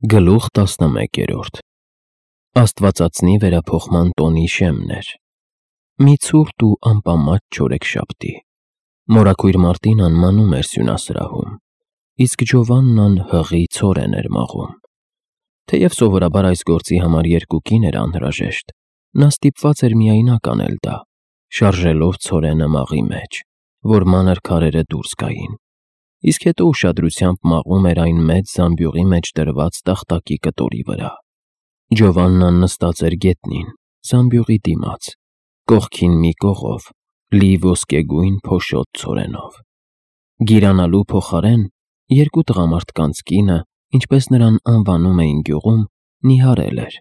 Գլուխ 11 Աստվածածնի վերափոխման տոնի շեմն էր։ Մի ցուրտ ու անպամած չորեքշաբթի։ Մորաքույր Մարտինան մանում էր սյունասրահում, իսկ Ջովաննան հղի ցորեն էր մաղում։ Թեև սովորաբար այս գործի համար երկու կին էր անհրաժեշտ, նա ստիպված էր միայնակ անել դա, շարժելով ցորենը մաղի մեջ, որ մանր քարերը դուրս գային, իսկ հետո ուշադրությամբ մաղում էր այն մեծ զամբյուղի մեջ դրված տախտակի կտորի վրա։ Ջովաննան նստած էր գետնին, զամբյուղի դիմաց, կողքին մի կողով, լի ոսկեգույն փոշոտ ցորենով։ Գիրանալու փոխարեն երկու տղամարդկանց կինը, ինչպես նրան անվանում էին գյուղում, նիհարել էր,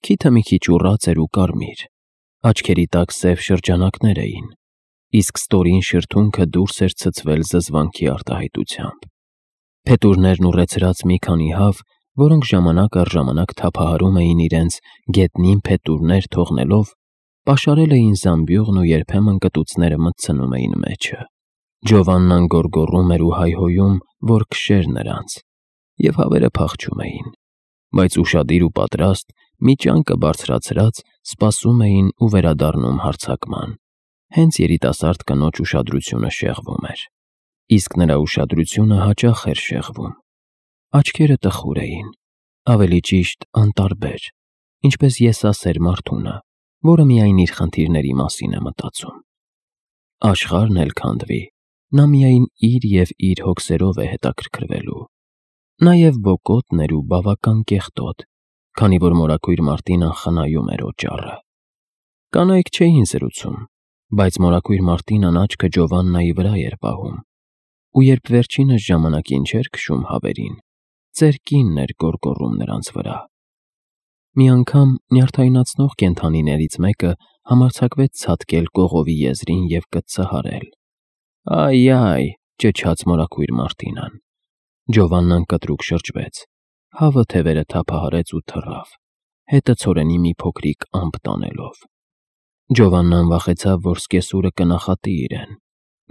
քիթը մի քիչ ուռած էր ու կարմիր, աչքերի տակ սև շրջանակներ էին, իսկ ստորին շրթունքը դուրս էր ցցվել զզվանքի արտահայտությամբ։ Փետուրներն ուռեցրած մի քանի հավ, որոնք ժամանակ առ ժամանակ թափահարում էին իրենց գետնին փետուրներ թողնելով, պաշարել էին զամբյուղն ու երբեմն կտուցները մտցնում էին մեջը։ Ջովաննան գոռգոռում էր ու հայհոյում, որ քշեր նրանց, և հավերը փախչում էին, բայց ուշադիր ու պատրաստ, մի ճանկը բարձրացրած, սպասում էին ու վերադառնում հարձակման։ Հենց երիտասարդ կնոջ ուշադրությունը շեղվում էր, իսկ նրա ուշադրությունը հաճախ էր շեղվում։ Աչքերը տխուր էին, ավելի ճիշտ անտարբեր, ինչպես եսասեր մարդունը, որը միայն իր խնդիրների մասին է մտածում։ Աշխարհն էլ քանդվի, նա միայն իր և իր հոգսերով է հետաքրքրվելու։ Նաև բոկոտն էր ու բավական կեղտոտ, քանի որ մորաքույր Մարտինան խնայում էր օճառը։ Կանայք չէին զրուցում, բայց մորաքույր Մարտինան աչքը Ջովաննայի վրա էր պահում, ու երբ վերջինս ժամանակին չէր քշում հավերին, ծեր կինն էր գոռգոռում նրանց վրա։ Մի անգամ նյարդայնացնող կենդանիներից մեկը համարձակվեց ցատկել կողովի եզրին և կծծահարել։ «Այ», ճչաց մորաքույր Մարտինան։ Ջովաննան կտրուկ շրջվեց, հավը թևերը թափահարեց ու թռավ, հետը ցորենի մի փոքրիկ ամպ տանելով։ Ջովաննան վախեցավ, որ սկեսուրը կնախատի իրեն,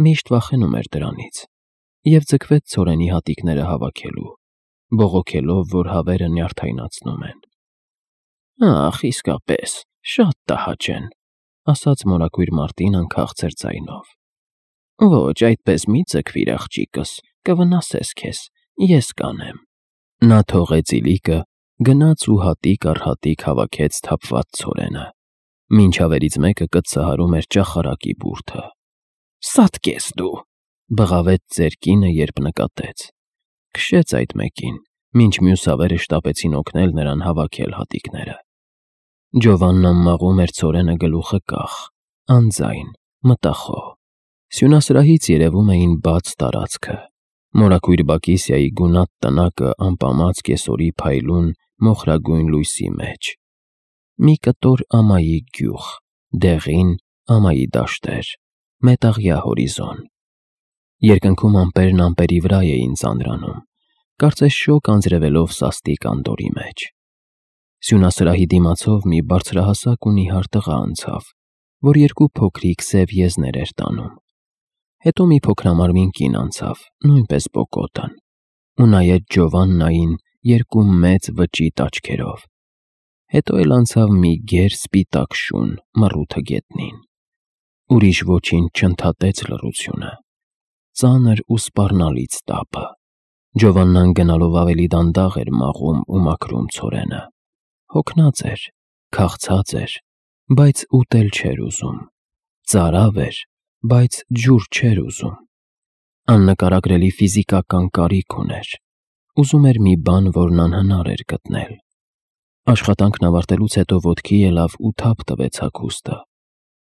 միշտ վախենում էր դրանից, և ձգվեց ցորենի հատիկները հավաքելու, բողոքելով, որ հավերը նյարդայնացնում են։ «Ախ, իսկապես, շատ տհաճ են», ասաց մորաքույր Մարտինան քաղցր ձայնով։ «Ոչ, այդպես մի ձգվիր, աղջիկս, կվնասես քեզ, ես կանեմ»։ Նա թողեց իլիկը, գնաց ու հատիկ առ հատիկ հավաքեց թափված ցորենը, մինչ հավերից մեկը կծծահարում էր ճախարակի բուրդը։ «Սատկես դու», բղավեց ծեր կինը, երբ նկատեց։ Քշեց այդ մեկին, մինչ մյուս հավերը շտապեցին օգնել նրան հավաքել հատիկները։ Ջովաննան մաղում էր ցորենը գլուխը կախ, անձայն, մտախոհ։ Սյունասրահից երևում էին բաց տարածքը, մորաքույր Բակիսիայի գունատ տնակը անպամած կեսօրի փայլուն մոխրագույն լույսի մեջ։ Մի կտոր ամայի գյուղ, դեղին ամայի դաշտեր, մետաղյա հորիզոն։ Երկնքում ամպերն ամպերի վրա էին ծանրանում, կարծես շոգ անձրևելով սաստիկ անդորի մեջ։ Սյունասրահի դիմացով մի բարձրահասակ ու նիհար տղա անցավ, որ երկու փոքրիկ սև եզներ էր տանում։ Հետո մի փոքրամարմին կին անցավ, նույնպես բոկոտն, ու նայեց Ջովաննային երկու մեծ վճիտ աչքերով։ Հետո էլ անցավ մի գեր սպիտակ շուն մռութը գետնին։ Ուրիշ ոչինչ չընդհատեց լռությունը, ծանր ու սպառնալից տապը։ Ջովաննան գնալով ավելի դանդաղ էր մաղում ու մաքրում ցորենը։ Հոգնած էր, քաղցած էր, բայց ուտել չէր ուզում, ծարավ էր, բայց ջուր չէր ուզում։ Աննկարագրելի ֆիզիկական կարիք ուներ, ուզում էր մի բան, որն անհնար էր գտնել։ Աշխատանքն ավարտելուց հետո ոտքի ելավ ու թափ տվեց հագուստը,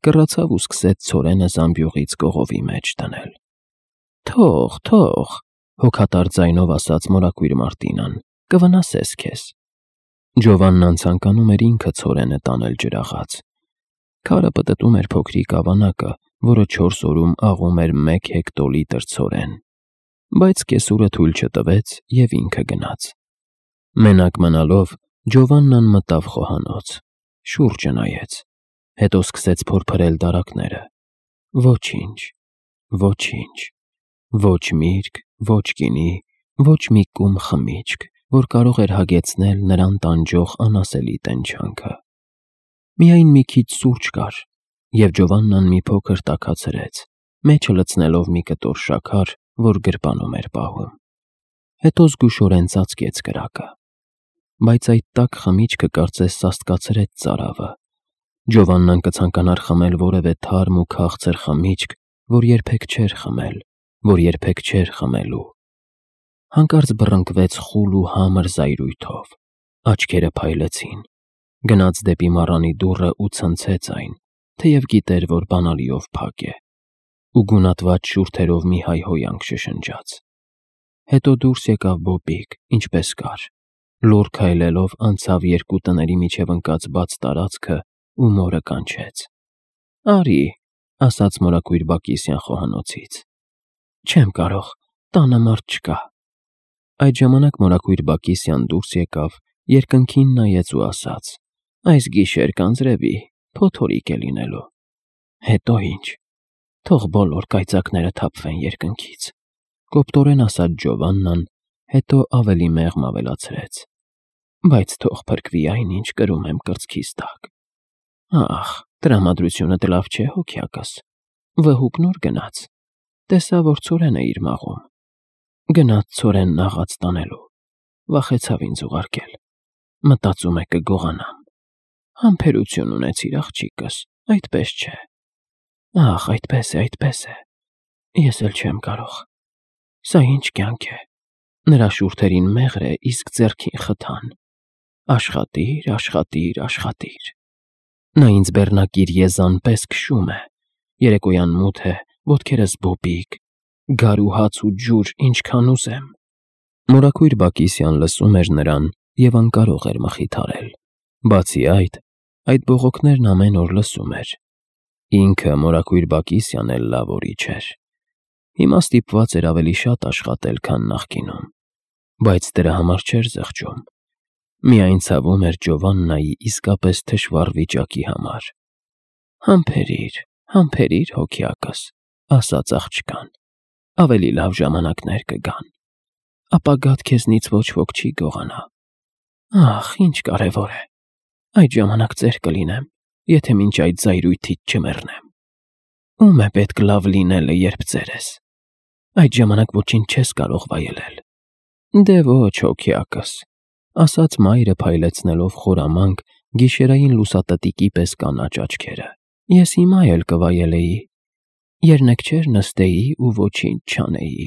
կռացավ ու սկսեց ցորենը զամբյուղից կողովի մեջ դնել։ «Թող», հոգատար ձայնով ասաց մորաքույր Մարտինան, «կվնասես քեզ»։ Ջովաննան ցանկանում էր ինքը ցորենը տանել ջրաղաց։ Քարը պտտում էր փոքրիկ ավանակը, որը 4 օրում աղում էր 1 հեկտոլիտր ցորեն, բայց կեսուրը թույլ չտվեց և ինքը գնաց։ Մենակ մնալով, Ջովաննան մտավ խոհանոց, շուրջը նայեց, հետո սկսեց փորփրել դարակները։ Ոչինչ, ոչինչ, ոչ միրգ, ոչ գինի, ոչ մի կում խմիչք, որ կարող էր հագեցնել նրան տանջող անասելի տենչանքը։ Միայն մի քիչ սուրճ կար, և Ջովաննան մի փոքր տաքացրեց, մեջը լցնելով մի կտոր շաքար, որ գրպանում էր պահում։ Հետո զգուշորեն ծածկեց կրակը։ Բայց այդ տաք խմիչքը կարծես սաստկացրեց ծարավը։ Ջովաննան կցանկանար խմել որևէ թարմ ու քաղցր խմիչք, որ երբեք չէր խմել, որ երբեք չէր խմելու։ Հանկարծ բռնկվեց խուլ ու համր զայրույթով, աչքերը փայլեցին, գնաց դեպի մառանի դուռը ու ցնցեց այն, թեև գիտեր, որ բանալիով փակ է, ու գունատված շուրթերով մի հայհոյանք շշնջաց։ Հետո դուրս եկավ Բոբիկ, ինչպես կար, լուռ քայլելով անցավ երկու տների միջև ընկած բաց տարածքը ու մորը կանչեց։ «Արի», ասաց մորակույր Բակիսյան խոհանոցից։ «Չեմ կարող, տանը մարդ չկա»։ Այդ ժամանակ մորակույր Բակիսյան դուրս եկավ, երկնքին նայեց ու ասաց. «Այս գիշեր կանձրևի, փոթորիկ է լինելու»։ «Հետո ինչ, թող բոլոր կայծակները թափվեն երկնքից», կոպտորեն ասաց Ջովաննան, հետո ավելի մեղմ ավելացրեց. «Բայց թող փրկվի այն, ինչ կրում եմ կրծքիս տակ»։ «Ախ, տրամադրությունդ լավ չէ, հոգյակս, վհուկն ուր գնաց, տեսա, որ ցորեն է իր մաղում»։ «Գնաց ցորենն աղաց տանելու, վախեցավ ինձ ուղարկել, մտածում է կգողանամ»։ «Համբերություն ունեցիր, աղջիկս, այդպես չէ»։ «Ախ, այդպես է, ես էլ չեմ կարող, սա ինչ կյանք է»։ Նրա շուրթերին մեղր է, իսկ ձեռքին խթան։ «Աշխատիր, աշխատիր, աշխատիր»։ Նա ինձ բեռնակիր եզան պես քշում է, երեկոյան մութ է, ոտքերս բոբիկ, գար ու հաց ու ջուր ինչքան ուզեմ։ Մորակույր Բակիսյան լսում էր նրան և անկարող էր մխիթարել։ Բացի այդ բողոքներն ամեն օր լսում էր։ Ինքը մորակույր Բակիսյան էլ լավ օրիչ էր։ Հիմա ստիպված էր ավելի շատ աշխատել, քան նախկինում, բայց դրա համար չէր զղջում։ Միայն ցավում էր Ջովաննայի իսկապես թշվառ վիճակի համար։ Համբերիր, հոգյակս, ասաց աղջկան, ավելի լավ ժամանակներ կգան, ապագադ քեզնից ոչ ոք չի գողանա։ Ախ, ինչ կարևոր է, այդ ժամանակ ծեր կլինեմ, եթե մինչ այդ զայրույթից չմեռնեմ։ Ում է պետք լավ լինելը, երբ ծեր ես։ Այդ ժամանակ ոչինչ չես կարող վայելել։ Դե ոչ, հոգյակս, ասաց մայրը փայլեցնելով խորամանկ գիշերային լուսատտիկի պես կանաչ աչքերը։ Ես հիմա էլ կվայելեի, երնեքչեր նստեի ու ոչինչ չանեի,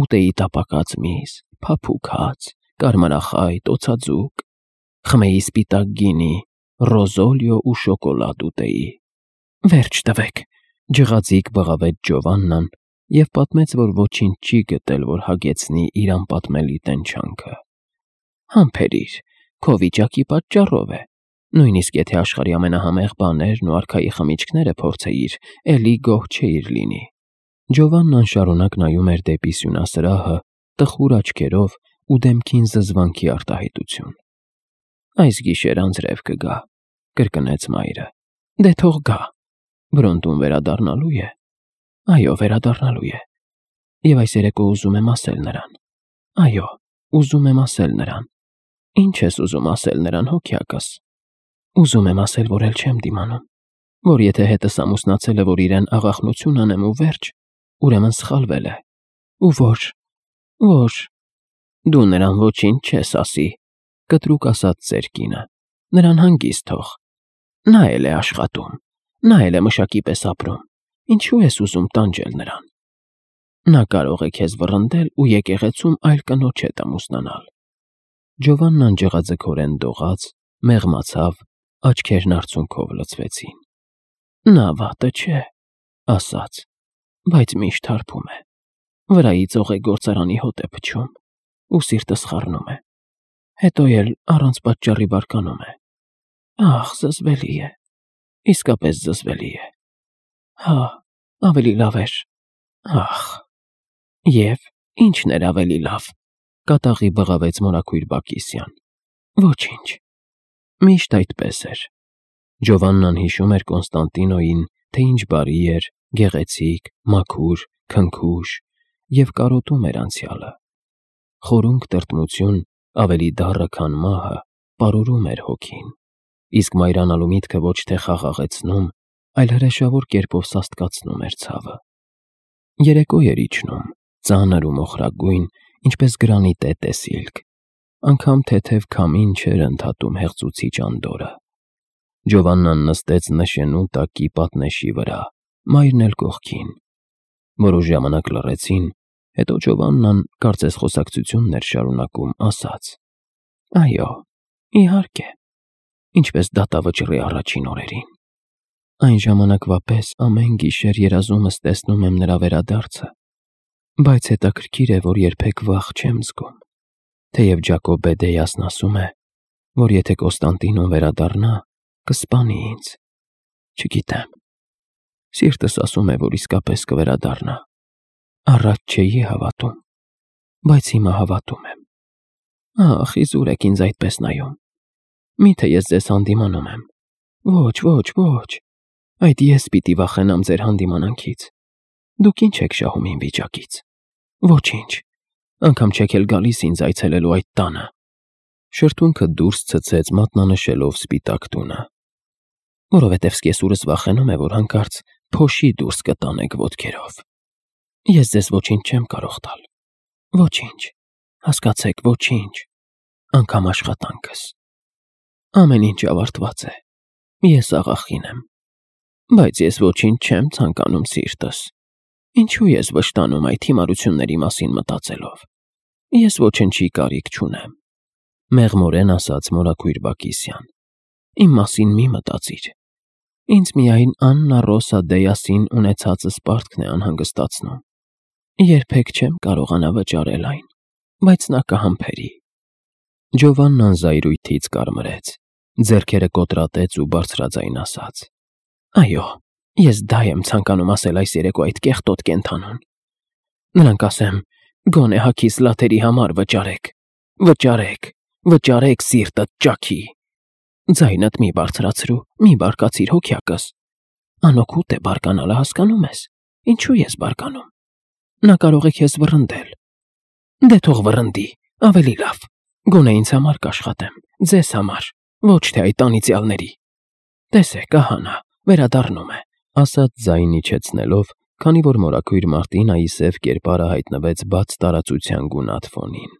ուտեի տապակած միս, փափուկ հաց, կարմրախայտ, օձաձուկ, խմեի սպիտակ գինի, ռոզոլիո ու շոկոլադ ուտեի։ Վերջ տվեք, ջղաձիկ բղավեց Ջովաննան և պատմեց, որ ոչինչ չի գտել, որ հագեցնի իր անպատմելի տենչանքը։ Համբերիր, քո վիճակի պատճառով է։ Նույնիսկ եթե աշխարհի ամենահամեղ բաներն ու արքայի խմիչքները փորձեիր, էլի գոհ չէիր լինի։ Ջովաննան շարունակ նայում էր դեպի սյունասրահը, տխուր աչքերով ու դեմքին զզվանքի արտահայտություն։ Այս գիշեր անձրև կգա, կրկնեց մայրը։ Դե թող գա։ Բրոնդուն վերադառնալու է։ Այո, վերադառնալու է։ Եվ այս երեկո ուզում եմ ասել նրան։ Այո, ուզում եմ ասել նրան։ Ինչ ես ուզում ասել նրան, հոգյակս։ Ուզում եմ ասել, որ էլ չեմ դիմանում, որ եթե հետս ամուսնացել է, որ իրեն աղախնություն անեմ ու վերջ, ուրեմն սխալվել է։ Ու որ դու նրան ոչինչ չես ասի, կտրուկ ասաց ծեր կինը, նրան հանգիստ թող։ Նա էլ է աշխատում, նա էլ է մշակի պես ապրում, ինչու ես ուզում տանջել նրան։ Նա կարող է քեզ վռնդել ու եկեղեցում այլ կնոջ հետ ամուսնանալ։ Ջովաննան ջղաձգորեն դողաց, մեղմացավ, աչքերն արցունքով լցվեցին։ Նա վատը չէ, ասաց, բայց միշտ հարբում է, վրայից օղեգործարանի հոտ է փչում ու սիրտս խառնում է, հետո էլ առանց պատճառի բարկանում է։ Ախ, զզվելի է, իսկապես զզվելի է։ Հա, ավելի լավ էր։ Ախ, և ինչն էր ավելի լավ, կատաղի բղավեց մորակույր Բակիսյան։ Ոչինչ, միշտ այդպես էր։ Ջովաննան հիշում էր Կոնստանտինոյին, թե ինչ բարի էր, գեղեցիկ, մաքուր, քնքուշ և կարոտում էր անցյալը։ Խորունկ տրտմություն ավելի դառը քան մահը, պարուրում էր հոգին, իսկ մայրանալու միտքը ոչ թե խաղաղեցնում, այլ հրեշավոր կերպով սաստկացնում էր ցավը։ Երեկո էր իջնում, ծանր ու մոխրագույն, ինչպես գրանիտե տեսիլք, անգամ թեթև քամին չէր ընդհատում հեղձուցիչ անդորը։ Ջովաննան նստեց նշենու տակի պատնեշի վրա, մայրն էլ կողքին։ Որոշ ժամանակ լռեցին, հետո Ջովաննան, կարծես խոսակցությունն էր շարունակում, ասաց. «Այո, իհարկե, ինչպես դատավճռի առաջին օրերին։ Այն ժամանակվա պես ամեն գիշեր երազումս տեսնում եմ նրա վերադարձը, բայց հետաքրքիր է, որ երբեք վախ չեմ զգում, թեև Ջակոբ Բեդեյասն ասում է, որ եթե Կոստանդինոն վերադառնա, կսպանի ինձ։ Չգիտեմ, սիրտս ասում է, որ իսկապես կվերադառնա։ Առաջ չէի հավատում, բայց հիմա հավատում եմ։ Ախ, իզուր եք ինձ այդպես նայում։ Միթե ես ձեզ հանդիմանում եմ։ Ոչ, ոչ, ոչ, այդ ես պիտի վախենամ ձեր հանդիմանանքից։ Դուք ինչ եք շահում իմ վիճակից։ Ոչինչ, անգամ չեք էլ գալիս ինձ այցելելու այդ տանը։ Շրթունքը դուրս ցցեց մատնանշելով սպիտակ տունը։ Որովհետև սկեսուրս վախենում է, որ հանկարծ փոշի դուրս կտանեք ոտքերով։ Ես ձեզ ոչինչ չեմ կարող տալ։ Ոչինչ, հասկացեք, ոչինչ, անգամ աշխատանքս։ Ամեն ինչ ավարտված է։ Ես աղախին եմ։ Բայց ես ոչինչ չեմ ցանկանում սիրտս։ Ինչու ես վշտանում այդ հիմարությունների մասին մտածելով։ Ես ոչնչի կարիք չունեմ։ Մեղմորեն ասաց մորաքույր Բակիսյան։ Իմ մասին մի մտածիր։ Ինձ միայն Աննա Ռոսա Դեյասին ունեցածս պարտքն է անհանգստացնում։ Երբեք չեմ կարողանա վճարել այն, բայց նա կհամբերի։ Ջովաննան զայրույթից կարմրեց, ձեռքերը կոտրատեց ու բարձրաձայն ասաց. Այո, ես դա եմ ցանկանում ասել այս երեկո այդ կեղտոտ կենդանուն։ Նրանք ասեմ, գոնե հագիս լաթերի համար վճարեք, վճարեք, վճարեք սիրտդ ճաքի։ Ձայնդ մի բարձրացրու, մի բարկացիր հոգյակս։ Անօգուտ է բարկանալը, հասկանում ես։ Ինչու ես բարկանում։ Նա կարող է քեզ վռնդել։ Դե թող վռնդի, ավելի լավ։ Գոնե ինձ համար կաշխատեմ, ձեզ համար, ոչ թե այդ անիծյալների։ Տեսեք, ահա նա, վերադառնում է, ասաց ձայն իջեցնելով, քանի որ մորաքույր Մարտինայի սև կերպարը հայտնվեց բաց տարածության գունատ ֆոնին։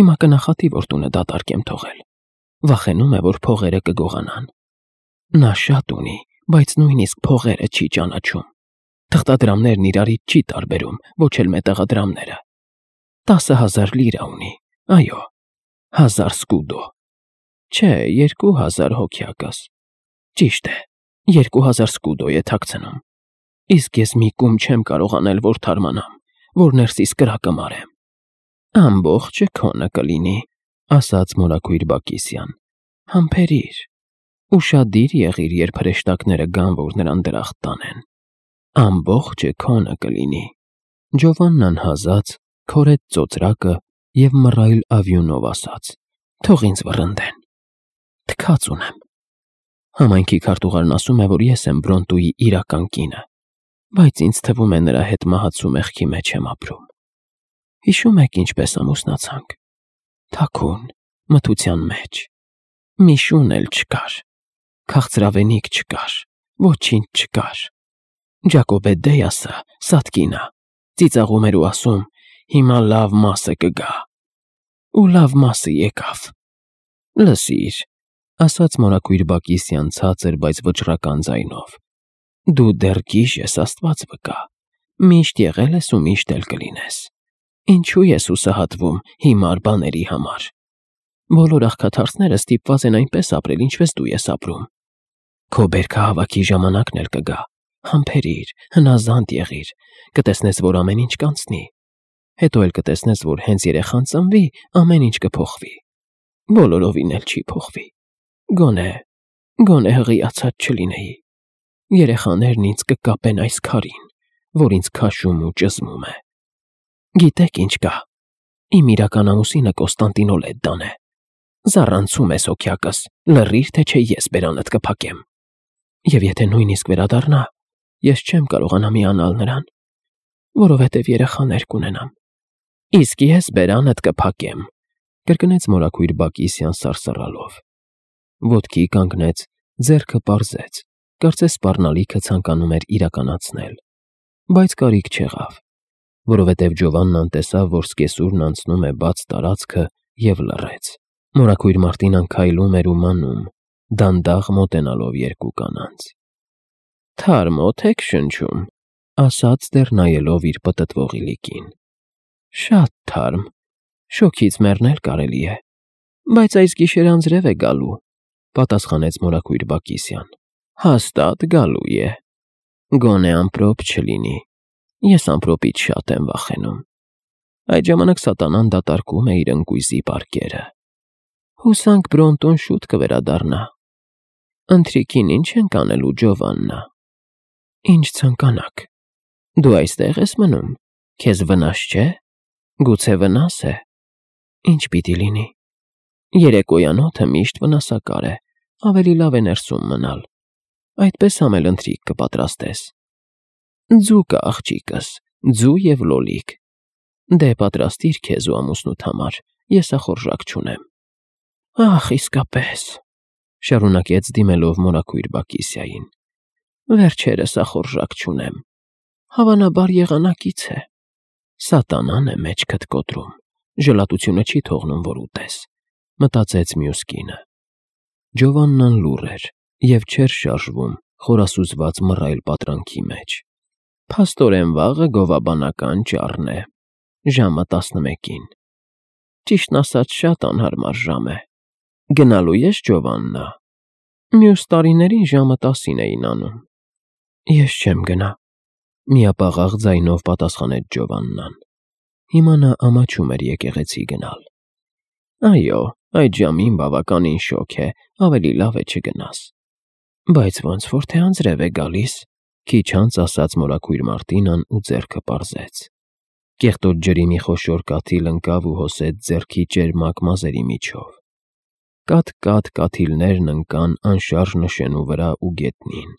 Հիմա կնախատի, որ տունը դատարկ եմ թողել։ Վախենում է, որ փողերը կգողանան։ Նա շատ ունի, բայց նույնիսկ փողերը չի ճանաչում։ Թղթադրամներն իրարից չի տարբերում, ոչ էլ մետաղադրամները։ 10,000 լիրա ունի, այո, 1000 սկուդո։ Չէ, 2000 հոգյակս։ Ճիշտ է, 2000 սկուդո է թաքցնում։ Իսկ ես մի կում չեմ կարող անել, որ թարմանամ, որ ներսիս կրակը մարեմ։ Ամբողջը քոնը կլինի, ասաց մորաքույր Բակիսյան։ Համբերիր։ Ուշադիր եղիր, երբ հրեշտակները գան, որ նրան դրախտ տանեն։ Ամբողջը քոնը կլինի։ Ջովաննան հազաց, քորեց ծոծրակը և մռայլ ավյունով ասաց. Թող ինձ վռնդեն։ Թքած ունեմ։ Համայնքի քարտուղարն ասում է, որ ես եմ Բրոնտուի իրական կինը, բայց ինձ թվում է նրա հետ մահացու մեղքի մեջ եմ ապրում։ Հիշում եք ինչպես ամուսնացանք։ Թաքուն, մթության մեջ։ Մի շուն էլ չկար։ Քաղցրավենիք չկար, ոչինչ չկար։ Ջակոբե Դեյասը, Սատկինը, ծիծաղում էր ու ասում. հիմա լավ մասը կգա։ Ու լավ մասը եկավ։ Լսիր, ասաց մորաքույր Բակիսյան ցածր, բայց վճռական ձայնով։ Դու դեռ գիժ ես, Աստված վկա։ Միշտ եղել ես ու միշտ էլ կլինես։ Ինչու ես հուսահատվում հիմար բաների համար։ Բոլոր աղքաթարցները ստիպված են այնպես ապրել, ինչպես դու ես ապրում։ Քո բերքահավաքի ժամանակն էլ կգա։ Համբերիր, հնազանդ եղիր, կտեսնես, որ ամեն ինչ կանցնի։ Հետո էլ կտեսնես, որ հենց երեխան ծնվի, ամեն ինչ կփոխվի։ Բոլորովին էլ չի փոխվի։ Գոնե հղիացած չլինեի։ Երեխաներն ինձ կկապեն այս քարին, որ ինձ քաշում ու ճզմում է։ Գիտեք ինչ կա։ Իմ իրական ամուսինը Կոստանդինոլեդդան է։ Զառանցում ես հոգյակս, լռիր, թե չէ ես բերանդ կփակեմ։ Եվ եթե նույնիսկ վերադառնա, ես չեմ կարողանա միանալ նրան, որովհետև երեխաներ կունենամ։ Իսկ ես բերանդ կփակեմ, կրկնեց մորաքույր Բակիսյան սարսռալով։ Ոտքի կանգնեց, ձեռքը պարզեց, կարծես սպառնալիքը ցանկանում էր իրականացնել, բայց կարիք չեղավ, որովհետև Ջովաննան տեսավ, որ սկեսուրն անցնում է բաց տարածքը և լռեց։ Մորաքույր Մարտինան քայլում էր ու մանում, դանդաղ մոտենալով երկու կանանց։ «Թարմ օդ եք շնչում», ասաց դեռ նայելով իր պտտվող իլիկին։ «Շատ թարմ, շոգից մեռնել կարելի է, բայց այս գիշեր անձրև է գալու», պատասխանեց մորաքույր Բակիսյան։ «Հաստատ գալու է։ Գոնե ամպրոպ չլինի, ես ամպրոպից շատ եմ վախենում։ Այդ ժամանակ սատանան դատարկում է իր ընկույզի պարկերը։ Հուսանք Բրոնտոն շուտ կվերադառնա։ Ընթրիքին ինչ ենք անելու, Ջովաննա»։ «Ինչ ցանկանաք։ Դու այստեղ ես մնում, քեզ վնաս չէ։ Գուցե վնաս է։ Ինչ պիտի լինի։ Երեկոյան օդը միշտ վնասակար է, ավելի լավ է ներսում մնալ, այդպես համել ընթրիք կպատրաստես։ Ձու կա, աղջիկս, ձու և լոլիկ։ Դե պատրաստիր քեզ ու ամուսնուդ համար, ես ախորժակ չունեմ»։ «Ախ, իսկապես», շարունակեց դիմելով մորաքույր Բակիսյային, «վերջերս ախորժակ չունեմ։ Հավանաբար եղանակից է։ Սատանան է մեջքդ կոտրում, ժլատությունը չի թողնում, որ ուտես», մտածեց մյուս կինը։ Ջովաննան լուռ էր և չէր շարժվում խորասուզված մռայլ պատրանքի մեջ։ «Փաստորեն վաղը գովաբանական ճառն է, ժամը 11-ին։ Ճիշտն ասած, շատ անհարմար ժամ է։ Գնալու ես, Ջովաննա։ Մյուս տարիներին ժամը 10-ին էին անում»։ «Ես չեմ գնա», միապաղաղ ձայնով պատասխանեց Ջովաննան։ Հիմա նա ամաչում էր եկեղեցի գնալ։ «Այո, այդ ժամին բավականին շոգ է, ավելի լավ է չգնաս»։ «Բայց ոնց որ թե անձրև է գալիս», քիչ անց ասաց մորաքույր Մարտինան ու ձեռքը պարզեց։ Կեղտոտ ջրի մի խոշոր կաթիլ ընկավ ու հոսեց ձեռքի ճերմակ մազերի միջով։ Կաթ-կաթ կաթիլներն ընկան անշարժ նշենու վրա ու գետնին,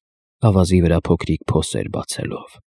ավազի վրա փոքրիկ փոսեր բացելով։